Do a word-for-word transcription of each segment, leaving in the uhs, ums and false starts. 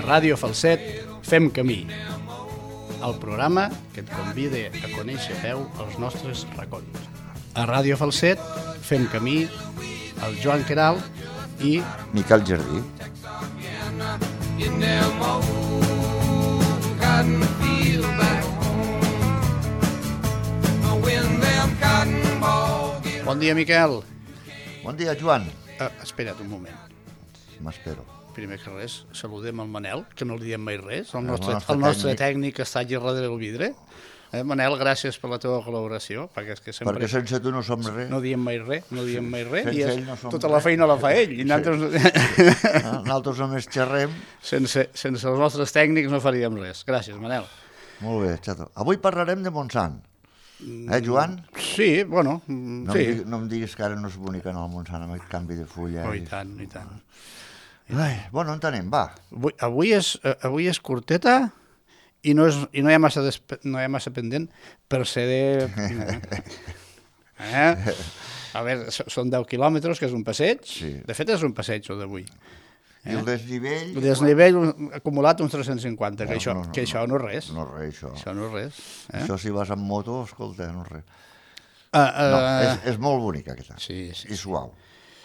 Ràdio Falset fem camí, el programa que et convida a conèixer a peu els nostres racons. A Ràdio Falset fem camí el Joan Queralt i Miquel Jardí. Bon dia, Miquel. Bon dia, Joan. Uh, espera't un moment. M'espero. Primer que res, saludem el Manel, que no li diem mai res. El nostre, el nostre, el nostre tècnic. tècnic està allà darrere del vidre. Eh, Manel, gràcies per la teva col·laboració, perquè és que sempre... Perquè sense tu no som res. No diem mai res, no diem mai res, Sense i és, ell no som tota res. la feina la fa ell. I nosaltres, No, nosaltres només xerrem. sense, sense els nostres tècnics no faríem res. Gràcies, Manel. Molt bé, xato. Avui parlarem de Montsant. Eh, Joan? Sí, bueno, mm, No, sí. em diguis, no em diguis que ara no és bonic anar al Montsant amb aquest canvi de fulla. Oh, i tant, i tant. Ai, bueno, on anem, va. Avui, avui, és, eh, avui és curteta i no, és, i no, hi ha massa despe, no hi ha massa pendent per ser de... Eh? A veure, so- són deu quilòmetres, que és un passeig. Sí. De fet, és un passeig, o d'avui. I el desnivell... El desnivell un- acumulat uns tres-cents cinquanta, que, No, això, no, no, que això no és res. No és res, això. Això no és res. Eh? Això si vas amb moto, escolta, no és res. Uh, uh, No, és, és molt bonica aquesta. Sí, sí, I suau.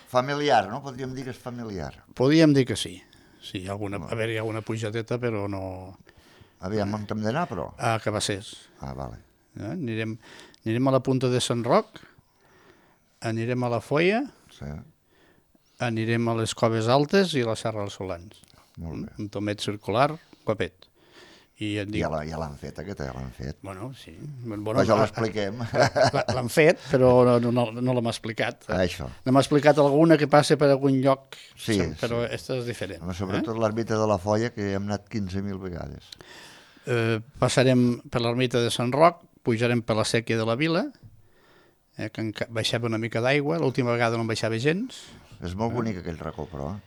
Familiar, no? Podríem dir que és familiar. Podríem dir que sí. Sí, alguna, a veure, hi ha alguna pujadeta, però no... Aviam, on hem d'anar, però? A Cabassers. Ah, vale. Eh? Anirem, anirem a la punta de Sant Roc, anirem a la Foia, Sí, anirem a les Coves Altes i a la Serra dels Solans. molt bé. Un tomet circular, guapet. I et dic... Ja la- ja l'han fet, aquesta, ja l'han fet. Bueno, sí. Bueno, Però ja no, l'expliquem. la- L'han fet, però no, no, no, no l'hem explicat. Això. N'hem explicat alguna que passa per algun lloc, Sí, però aquesta és diferent. Home, sobretot l'ermita de la Foia, que hi hem anat quinze mil vegades. Eh, passarem per l'ermita de Sant Roc, pujarem per la sèquia de la Vila, eh, que enca- baixava una mica d'aigua, l'última vegada no en baixava gens. És molt bonic aquell racó, però. eh?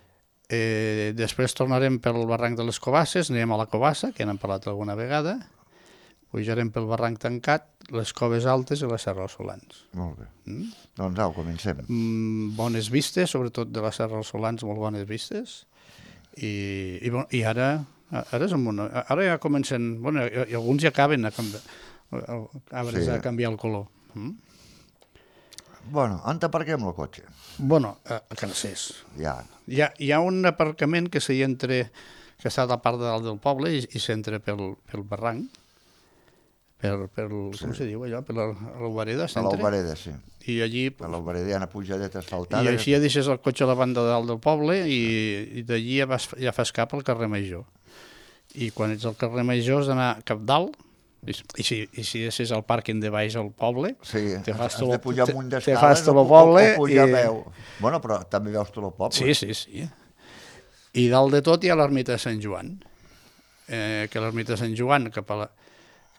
Eh, després tornarem pel barranc de les Cobasses, anirem a la Cobassa, que n'hem parlat alguna vegada, pujarem pel barranc tancat, les Coves Altes i la Serra dels Solans. Molt bé. Mm? Doncs au, comencem. Mm, bones vistes, sobretot de la Serra dels Solans, molt bones vistes. I, i, bon, i ara, ara, és una, ara ja comencen, bueno, i, i alguns ja acaben a canviar, arbres Sí. a canviar el color. Mm? Bueno, on aparquem el cotxe? Bueno, a, a Cansers. Ja. Hi ha, hi ha un aparcament que s'hi entra, que està a la part de dalt del poble i, i s'entra pel, pel barranc, per, per, sí. Com se diu allò, per l'Albareda A s'entra. l'Albareda, sí. I allí, A l'Albareda hi ha una pujadeta asfaltada. i així ja deixes el cotxe a la banda de dalt del poble i, i d'allí ja, vas, ja fas cap al carrer Major. I quan ets al carrer Major has d'anar cap dalt, i, i, si, i si és al pàrquing de baix al poble, Sí, te has, fas has tot de el- pujar te- amunt te d'escales fas tot o, el poble o, o pujar i- a peu. Bueno, però també veus tot el poble. sí, sí, sí. I dalt de tot hi ha l'ermita de Sant Joan, eh, que l'ermita de Sant Joan cap a la,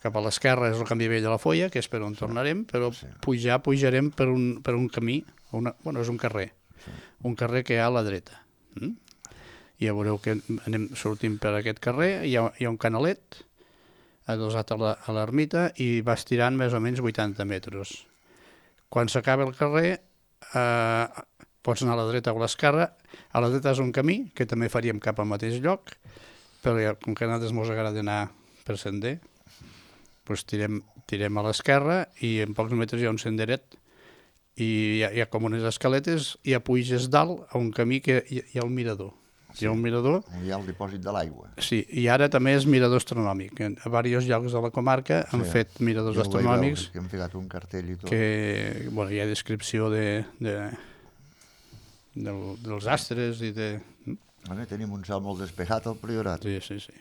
cap a l'esquerra és el camí vell de la Foia, que és per on tornarem, però sí. pujar, pujarem per un, per un camí, una, bueno, és un carrer, Sí. un carrer que hi ha a la dreta. Mm? I ja veureu que anem sortint per aquest carrer, hi ha, hi ha un canalet adossat a la- a l'ermita i vas tirant més o menys vuitanta metres. Quan s'acaba el carrer, eh, pots anar a la dreta o a l'esquerra. A la dreta és un camí, que també faríem cap al mateix lloc, però ja, com que a nosaltres ens agrada anar per sender, doncs tirem, tirem a l'esquerra i en pocs metres hi ha un senderet i hi ha, hi ha com unes escaletes i ja puges dalt a un camí que hi, hi ha un mirador. Hi ha un mirador, Hi ha el dipòsit de l'aigua. sí, i ara també és mirador astronòmic. En- A diversos llocs de la comarca han Sí. fet miradors Jo ho vaig astronòmics veure, que hem ficat un cartell i tot. que, bueno, hi ha descripció de, de, del, dels astres i de... Bueno, tenim un cel molt despejat al Priorat. Sí, sí, sí.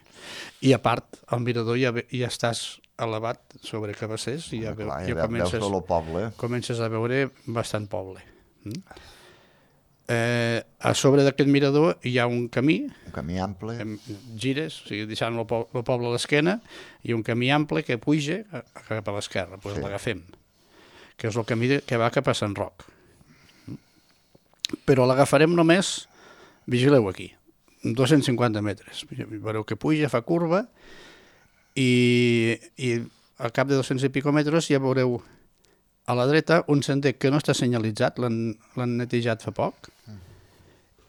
I a part, al mirador ja, ve- ja estàs elevat sobre Cabassers i ja, veu, Clar, ja ja veus comences, tot el poble. comences a veure bastant poble. Mm? Eh, a sobre d'aquest mirador hi ha un camí, Un camí ample. em- gires, o sigui, deixant el, po el poble a l'esquena, i un camí ample que puja a, a cap a l'esquerra, doncs Sí. l'agafem, que és el camí de, que va cap a Sant Roc. Però l'agafarem només, vigileu aquí, dos-cents cinquanta metres. Veureu que puja, fa curva, i, i al cap de dos-cents i pico metres ja veureu a la dreta un sender que no està senyalitzat, l'han l'han netejat fa poc,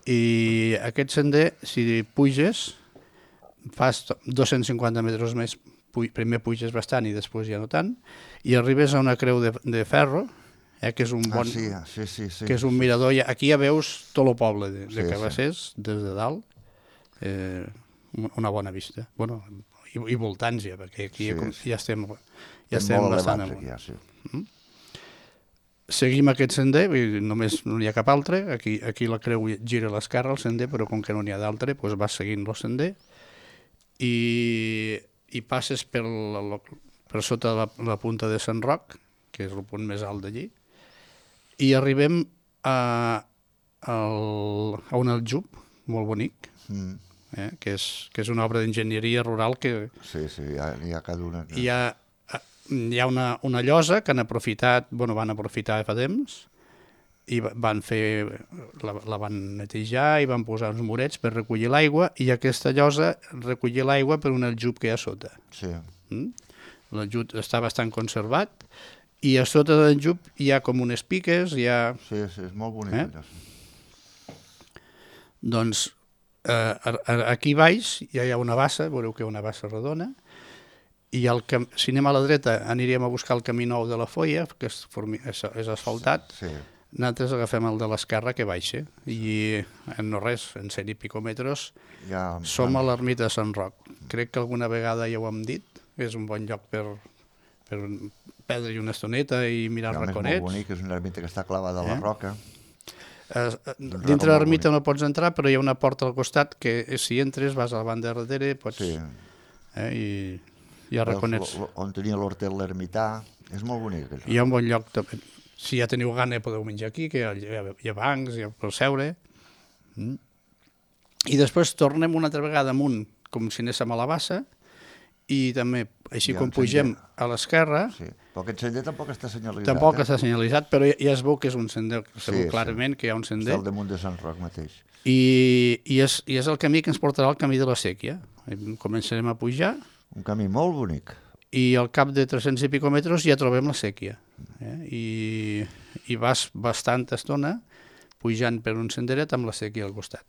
i aquest sender, si puges, fas dos-cents cinquanta metres més, pu primer puges bastant i després ja no tant, i arribes a una creu de, de ferro, eh, que és un bon... Ah, sí, sí, sí, sí. que és un mirador. Aquí ja veus tot el poble de, de Sí, Cabassers, des de dalt, eh, una bona vista. Bueno, i, i voltants ja, perquè aquí Sí, ja, com- sí. ja estem, ja És estem molt bastant elevats amunt. aquí, ja, sí. Seguim aquest sender, vull dir, només no hi ha cap altre, aquí, aquí la creu gira a l'esquerra el sender, però com que no n'hi ha d'altre, doncs vas seguint el sender i, i passes per, la, per sota la, la punta de Sant Roc, que és el punt més alt d'allí, i arribem a, al, a un aljub molt bonic, Mm. eh, que, és, que és una obra d'enginyeria rural que Sí, sí, hi ha, hi ha cada una. Que... hi ha, hi ha una, una llosa que han aprofitat, bueno, van aprofitar fa temps i va- van fer, la, la van netejar i van posar uns murets per recollir l'aigua i aquesta llosa recollir l'aigua per un aljub que hi ha a sota. Sí, Mm? L'aljub està bastant conservat i a sota de l'aljub hi ha com unes piques, hi ha... sí, sí, és molt bonic. Eh? Allò, sí. Doncs eh, a- a- aquí baix ja hi ha una bassa, veureu que hi ha una bassa redona, i el cam... si anem a la dreta aniríem a buscar el camí nou de la Foia, que és, formi... és, és asfaltat, Sí, nosaltres agafem el de l'esquerra que baixa, i en no res, en cent i pico metres, ja... som a l'ermita de Sant Roc. Crec que alguna vegada ja ho hem dit, és un bon lloc per, per perdre-hi una estoneta i mirar Realment és raconets. molt bonic, és una ermita que està clavada a la Eh? roca. Eh, racó dintre de molt l'ermita bonic. no pots entrar, però hi ha una porta al costat que eh, si entres vas a la banda de darrere pots, Sí. eh, i hi ha raconets. Veus lo- On tenia l'hortet l'ermità. És molt bonic, allò. Hi ha un bon lloc, també. Si ja teniu gana podeu menjar aquí, que hi ha, hi ha, hi ha bancs, hi ha per seure. Mm. I després tornem una altra vegada amunt, com si anéssim a la bassa, i també, així Hi ha com un pugem sender. a l'esquerra, Sí. Però aquest sender tampoc està senyalitzat. tampoc eh? està senyalitzat, però ja, ja es veu que és un sender, es Sí, veu sí. clarament que hi ha un Està sender. al damunt de Sant Roc mateix. I, i, és, I és el camí que ens portarà al camí de la Sèquia. Començarem a pujar Un camí molt bonic. i al cap de tres-cents i pico metres ja trobem la Sèquia. Eh? I, I vas bastanta estona pujant per un senderet amb la Sèquia al costat.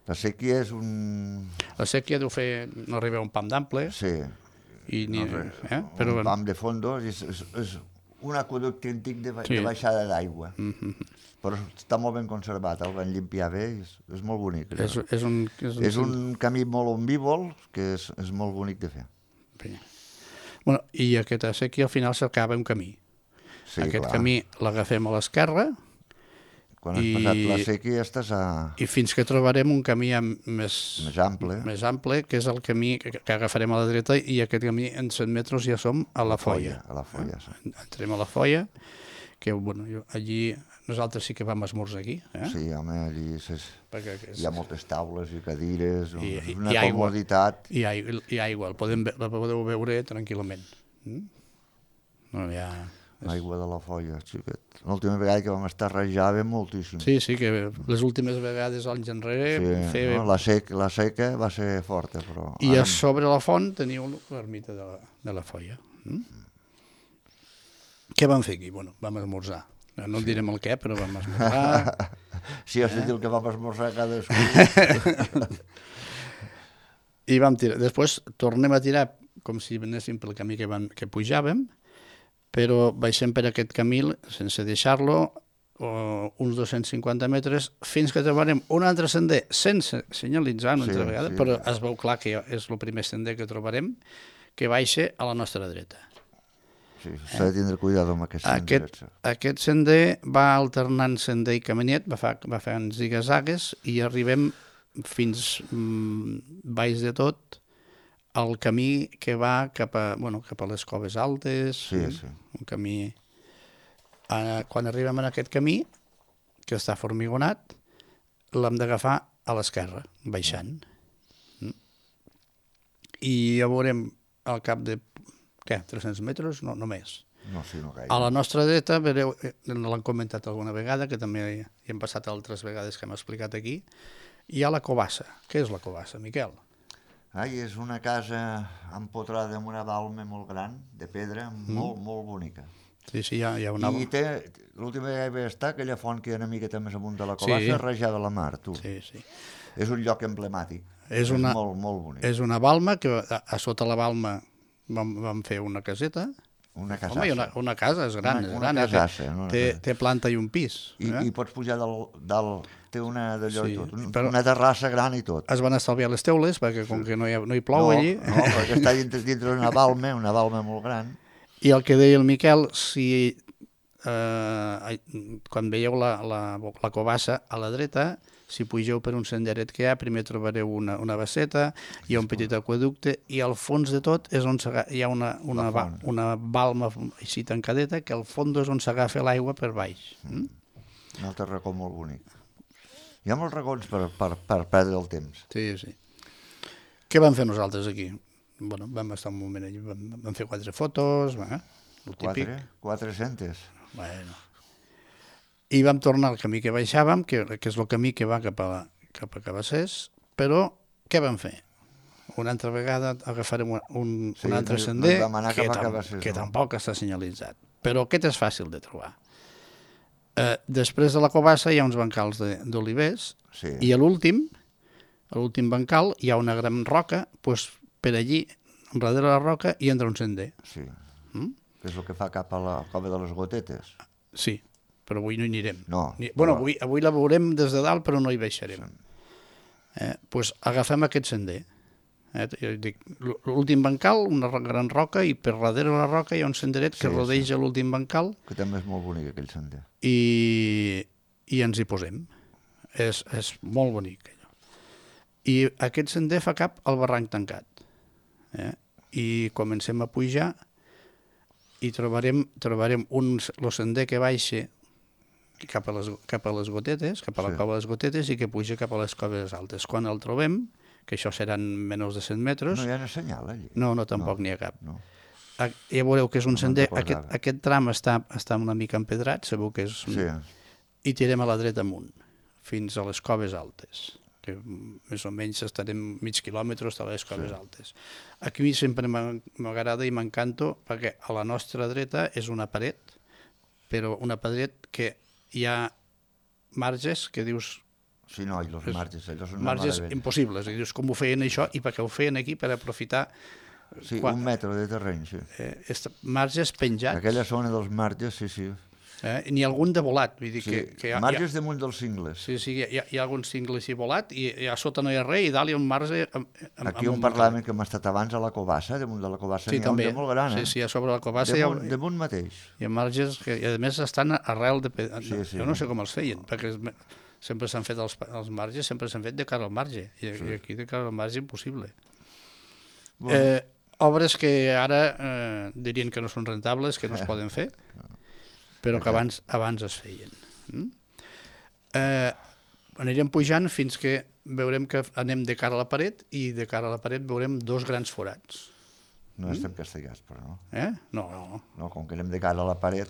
La sèquia és un... La Sèquia deu fer, no arriba a un pam d'ample, Sí, i ni, no, res, eh? un però bueno, pam de fondo, és, és, és un aqueducte antic de, ba Sí. de baixada d'aigua. mm -hmm. Però està molt ben conservat, el van limpiar bé, i és, és molt bonic. allò. és, és, un, és, un, És un camí molt omnívol, que és, és molt bonic de fer. Sí. Bueno, i aquesta Sèquia al final s'acaba un camí. Sí, Aquest clar. camí l'agafem a l'esquerra Quan has i- passat la sèquia estàs a... i fins que trobarem un camí amb més, més ample. més ample, que és el camí que, que agafarem a la dreta, i aquest camí en cent metres ja som a la Foia. A la folla, sí. Entrem a la Foia, que bueno, jo, allí nosaltres sí que vam esmorzar aquí, eh? Sí, home, allí és, Perquè és, hi ha moltes taules i cadires, I- és i- una i aigua. comoditat. hi, ha, hi ha aigua, el podem, ve- la podeu veure tranquil·lament. Mm? No, hi ha... L'aigua de la folla, xiquet. L'última vegada que vam estar rajava moltíssim. Sí, sí, que les últimes vegades anys enrere Sí, fer... no? la, sec, la seca va ser forta, però... I ara- a sobre la font teniu l'ermita de, la, de la Foia. Mm? Què vam fer aquí? Bueno, vam esmorzar. No et direm el què, però vam esmorzar. Sí, has de dir el que vam esmorzar cadascú. I vam tirar. Després tornem a tirar com si anéssim pel camí que, van, que pujàvem, però baixem per aquest camí sense deixar-lo o uns dos-cents cinquanta metres fins que trobarem un altre sender sense senyalitzar una Sí, altra vegada, sí. però es veu clar que és el primer sender que trobarem, que baixa a la nostra dreta. Sí, s'ha de tindre cuidado amb aquest Aquest, sender. aquest sender va alternant sender i caminet, va, fa, va fent zigazagues i arribem fins mm, baix de tot el camí que va cap a, bueno, cap a les Coves Altes, Sí, sí. un camí... Eh, quan arribem a aquest camí, que està formigonat, l'hem d'agafar a l'esquerra, baixant. Mm. I ja veurem al cap de, què, tres-cents metres? No, no més. No, sí, no gaire. A la nostra dreta, vereu, eh, l'han comentat alguna vegada, que també hi hem passat altres vegades que hem explicat aquí, hi ha la Covassa. Què és la Covassa, Miquel? Ai, és una casa empotrada amb una balma molt gran, de pedra, molt, molt bonica. Sí, sí, hi ha, hi ha una... I té, l'última vegada que vaig estar, aquella font que hi ha una miqueta més amunt de la Covassa, Sí. rajada a la mar, tu. Sí, sí. És un lloc emblemàtic. És una, és molt, molt bonic. És una balma, que a, a sota la balma vam, vam fer una caseta. Una casassa. Home, i una, una casa, és gran, Una, és una gran. casassa. Té, Una té, casa. té planta i un pis. I, eh? i pots pujar dalt, dalt té una d'allò Sí, i tot, un, però- una terrassa gran i tot. Es van estalviar les teules, perquè com que no hi, ha, no hi plou no, allí... No, perquè està dintre, dintre d'una balma, una balma molt gran. I el que deia el Miquel, si eh, quan veieu la, la, la covassa a la dreta, si pugeu per un senderet que hi ha, primer trobareu una, una basseta, hi ha un petit aqueducte, i al fons de tot és on hi ha una, una, La ba, font. una balma així tancadeta, que al fons és on s'agafa l'aigua per baix. Mm? Un altre racó molt bonic. Hi ha molts racons per, per, per perdre el temps. Sí, sí. Què vam fer nosaltres aquí? Bueno, vam estar un moment allà, vam, vam fer quatre fotos, eh? El típic. Quatre? Quatre-centes? Bueno. I vam tornar al camí que baixàvem, que, que és el camí que va cap a, cap a Cabassers, però què vam fer? Una altra vegada agafarem un, un, Sí, un altre no hi- sender no hi vam anar que, cap a tam Cabassers, que no. tampoc està senyalitzat. Però aquest és fàcil de trobar. Eh, després de la covassa hi ha uns bancals de- d'olivers Sí. i a l'últim, a l'últim bancal, hi ha una gran roca, doncs per allí, darrere la roca, hi entra un sender. Sí. Mm? Que és el que fa cap a la cova de les gotetes. Sí, però avui no hi anirem. No, Ni, bueno, però- avui, avui la veurem des de dalt, però no hi baixarem. Eh, pues agafem aquest sender. Eh, jo dic, l'últim bancal, una ro- gran roca, i per darrere la roca hi ha un senderet que Sí, rodeja l'últim bancal Que també és molt bonic aquell sender. i, i ens hi posem. És, és molt bonic. Allò. I aquest sender fa cap al barranc tancat. Eh? I comencem a pujar i trobarem, trobarem un, el sender que baixa cap a les, cap a les gotetes, cap a la Sí. cova de les gotetes, i que puja cap a les coves altes. Quan el trobem, que això seran menys de cent metres, No hi ha una senyal allí. no, no, tampoc No, n'hi ha cap. No. Ah, ja veureu que és un No me'n sender, recordava. aquest, aquest tram està, està una mica empedrat, sabeu que és... Sí. I tirem a la dreta amunt, fins a les coves altes, que més o menys estarem mig quilòmetre a les coves Sí. altes. Aquí a mi sempre m'ha- m'agrada i m'encanto, perquè a la nostra dreta és una paret, però una paret que hi ha marges que dius, Sí, no, i els És- marges, allò són una marges meravella. impossibles, i dius com ho feien això i per què ho feien aquí per aprofitar Sí, quan- un metre de terreny, sí. eh, est- marges penjats, Aquella zona dels marges, sí, sí. eh, ni algun de volat, vull dir sí. que, que hi ha, Marges damunt dels cingles. Sí, sí, hi ha, hi ha algun cingle així volat i, i a sota no hi ha res i dalt hi ha un marge... Amb, amb, Aquí amb on parlàvem que hem estat abans a la covassa, damunt de la covassa Sí, n'hi ha un també. de molt gran, eh? Sí, sí, a sobre la covassa hi ha, damunt, damunt mateix. hi ha marges que, i a més, estan arrel de... pe- Sí, sí. Jo no sé com els feien, perquè es- sempre s'han fet els, els marges, sempre s'han fet de cara al marge, i, sí. i aquí de cara al marge impossible. Bueno, Eh, obres que ara eh, dirien que no són rentables, que no es poden fer, però que abans, abans es feien. Mm? Eh, anirem pujant fins que veurem que anem de cara a la paret i de cara a la paret veurem dos grans forats. no estem castigats, però no. Eh? No, no. no. Com que anem de cara a la paret,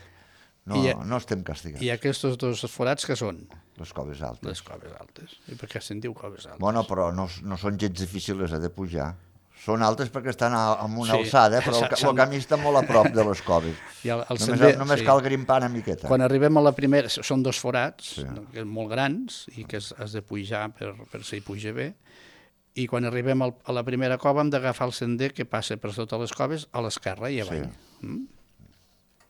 no, I, no estem castigats. I aquests dos forats que són? Les coves altes. Les coves altes. I per què se'n diu coves altes? Bueno, però no, no són gens difícils eh, de pujar. Són altes perquè estan a, a una Sí, alçada, però el, ca- s'han- el camí està molt a prop de les coves. I el, el Només, sender, només sí. cal grimpar una miqueta. Quan arribem a la primera, són dos forats, Sí. sí. molt grans, i que has, has de pujar per, per si hi puja bé, i quan arribem al, a la primera cova hem d'agafar el sender que passa per sota les coves a l'esquerra i avall. Sí. Mm?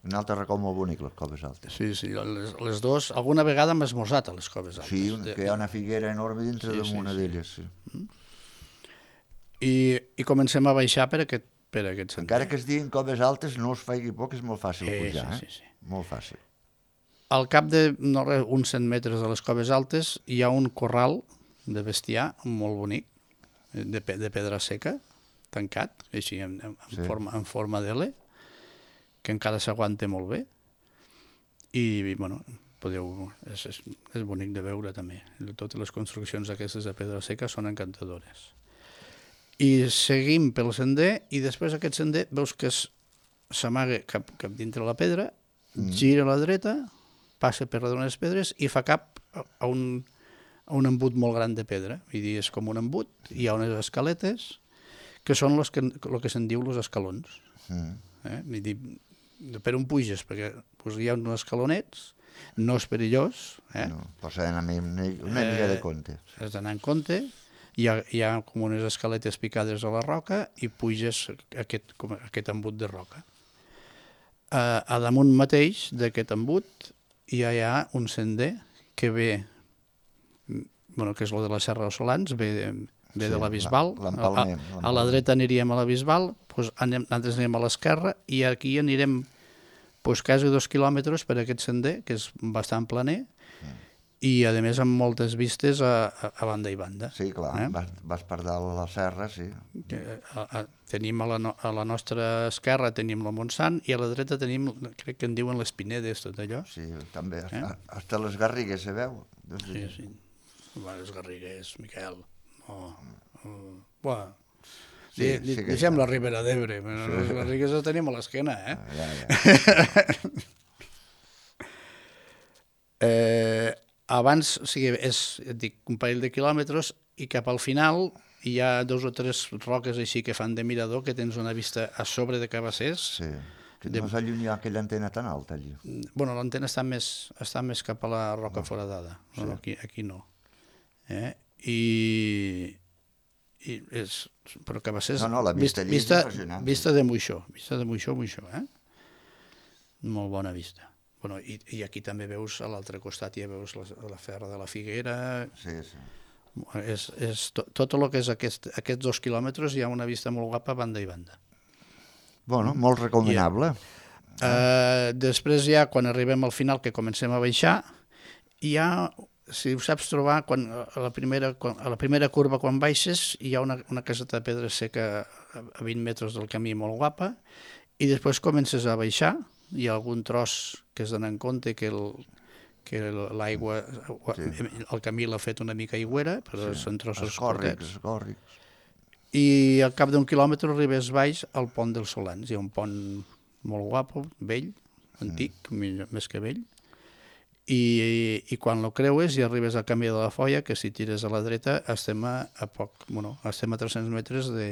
Un altre racó molt bonic, les coves altes. Sí, sí, les, les dos, alguna vegada hem esmorzat a les coves altes. Sí, un, que hi ha una figuera enorme dintre Sí, sí, sí, d'una sí. d'elles. Sí. I, I comencem a baixar per aquest, per aquest sender. Encara que es diguin coves altes, no us faigui por, que és molt fàcil Sí, pujar. sí, Eh? sí, sí. Molt fàcil. Al cap de no res, uns cent metres de les coves altes hi ha un corral de bestiar molt bonic, de, pe- de pedra seca, tancat, així en, en, en Sí. forma, en forma d'L, que encara s'aguanta molt bé. I, bueno, podeu, és, és, és bonic de veure també. Totes les construccions aquestes de pedra seca són encantadores. I seguim pel sender i després aquest sender veus que es- s'amaga cap, cap dintre la pedra, mm. gira a la dreta, passa per darrere les pedres i fa cap a a un, a un embut molt gran de pedra. Vull dir, és com un embut, hi ha unes escaletes que són los que, el que se'n diu els escalons. Mm. Eh? Vull dir, per on puges? Perquè pues, hi ha uns escalonets, no és perillós, eh? No, però s'ha d'anar una, una mica de Eh, compte. has d'anar en compte, hi ha, hi ha com unes escaletes picades a la roca i puges aquest, com aquest embut de roca. A, a damunt mateix d'aquest embut ja hi ha un sender que ve, bueno, que és el de la Serra dels Solans, ve, ve sí, de la Bisbal. A, a la dreta aniríem a la Bisbal, doncs anem, nosaltres anem a l'esquerra i aquí anirem doncs, quasi dos quilòmetres per aquest sender, que és bastant planer, mm. i a més amb moltes vistes a, a, a banda i banda. Sí, clar, eh? vas, vas per dalt a la serra, sí. A, a, tenim a la, no, a la nostra esquerra tenim la Montsant i a la dreta tenim, crec que en diuen les Pinedes, tot allò. Sí, també, eh? Hasta les Garrigues se veu. Sí, sí. Bueno, les Garrigues, Miquel. No, no. Bueno, sí, sí, sí deixem la Ribera d'Ebre, però sí. Les Garrigues les tenim a l'esquena, eh? Ah, ja, ja. eh... Abans, o sigui, és dic, un parell de quilòmetres i cap al final hi ha dos o tres roques així que fan de mirador, que tens una vista a sobre de Cabassers. Sí, que no s'allunya aquella antena tan alta allí. Bueno, l'antena està més, està més cap a la roca no. foradada, sí. no, aquí, aquí no. Eh? I, i és, però Cabassers... No, no, la vista, vista, allí és impressionant. Vista de Moixó, vista de Moixó, Moixó, eh? Molt bona vista. Bueno, i, i aquí també veus, a l'altre costat ja veus la, la Ferra de la Figuera. Sí, sí. És, és to, tot el que és aquest, aquests dos quilòmetres hi ha una vista molt guapa banda i banda. Bueno, molt recomanable. Ja. Uh, després ja, quan arribem al final, que comencem a baixar, hi ha, si ho saps trobar, quan, a, la primera, quan, a la primera curva quan baixes, hi ha una, una caseta de pedra seca a vint metres del camí molt guapa, i després comences a baixar, hi ha algun tros que es dona en compte que el, que l'aigua, sí. el camí l'ha fet una mica aigüera, però sí. són trossos cortets. Escòrrics. I al cap d'un quilòmetre arribes baix al pont dels Solans. Hi ha un pont molt guapo, vell, antic, mm. més que vell, i, i quan lo creues i arribes al camí de la Foia, que si tires a la dreta estem a, a poc, bueno, estem a tres-cents metres de,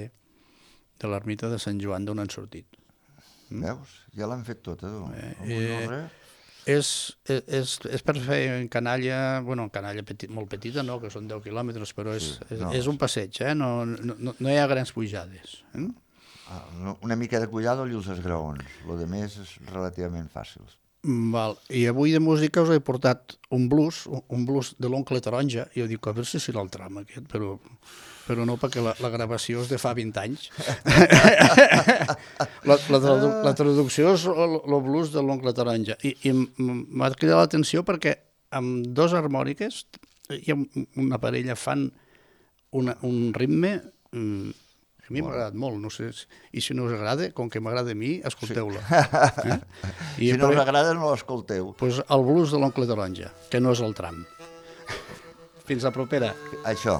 de l'ermita de Sant Joan d'on han sortit. Mm. Veus? Ja l'han fet tota, tu. Eh, eh, és, és, és per fer en canalla, bueno, en canalla petit, molt petita, no, que són deu quilòmetres, però és, sí, no, és, és un passeig, eh? no, no, no hi ha grans pujades. Eh? Ah, una mica de pujada i els esgraons, el de més és relativament fàcil. Val. I avui de música us he portat un blues, un blues de l'Oncle Taronja, i jo dic, a veure si serà el tram aquest, però, però no, perquè la, la gravació és de fa vint anys. la, la, tradu la traducció és el, el blues de l'Oncle Taronja. I, i m'ha cridat l'atenció perquè amb dos harmòniques hi ha una parella fan una, un ritme... Mm, a mi m'ha agradat molt, no sé, i si no us agrada, com que m'agrada a mi, escolteu-la. Sí. Eh? I si no us agrada, no l'escolteu. Doncs el blues de l'Oncle Taronja, que no és el tram. Fins la propera. Això.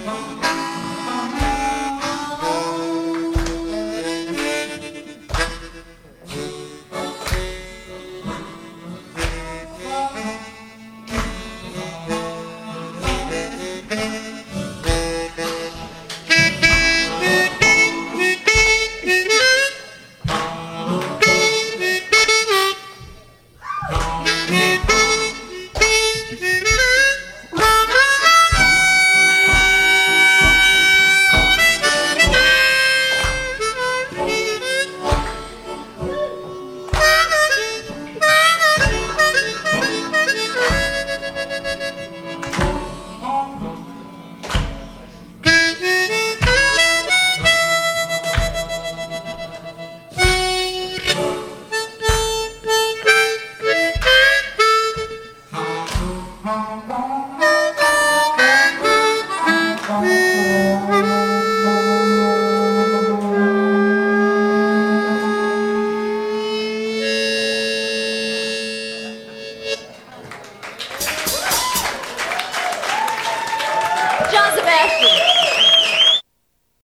Thank you.